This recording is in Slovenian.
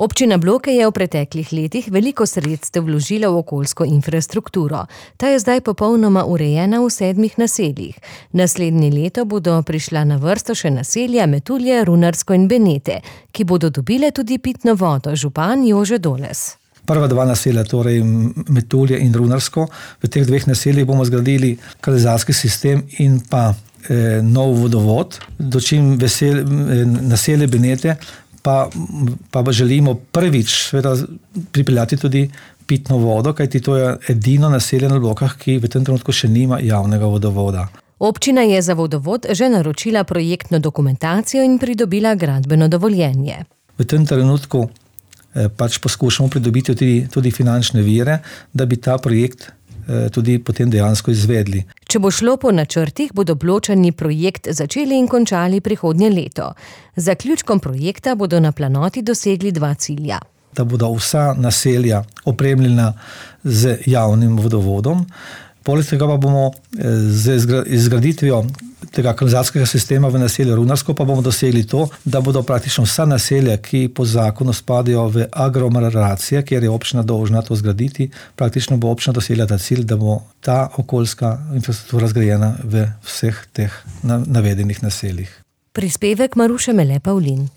Občina Bloke je v preteklih letih veliko sredstev vložila v okoljsko infrastrukturo. Ta je zdaj popolnoma urejena v 7 naseljih. Naslednje leto bodo prišla na vrsto še naselja Metulje, Runarsko in Benete, ki bodo dobile tudi pitno vodo, župan Jože Doles. Prva 2 naselja, torej Metulje in Runarsko, v teh 2 naseljih bomo zgradili kanalizacijski sistem in pa nov vodovod, dočim naselje Benete pa želimo prvič pripeljati tudi pitno vodo, kajti to je edino naselje na Blokah, ki v tem trenutku še nima javnega vodovoda. Občina je za vodovod že naročila projektno dokumentacijo in pridobila gradbeno dovoljenje. V tem trenutku poskušamo pridobiti tudi finančne vire, da bi ta projekt tudi potem dejansko izvedli. Če bo šlo po načrtih, bodo Bločani projekt začeli in končali prihodnje leto. Z zaključkom projekta bodo na planoti dosegli 2 cilja. Da bodo vsa naselja opremljena z javnim vodovodom. Poleg tega pa bomo z izgraditvijo tega kanalizacijskega sistema v naselju Runarsko pa bomo dosegli to, da bodo praktično vsa naselja, ki po zakonu spadajo v aglomeracije, kjer je občina dolžna to zgraditi, praktično bo občina dosegla ta cilj, da bo ta okoljska infrastruktura zgrajena v vseh teh navedenih naseljih. Prispevek Maruše Mele Pavlin.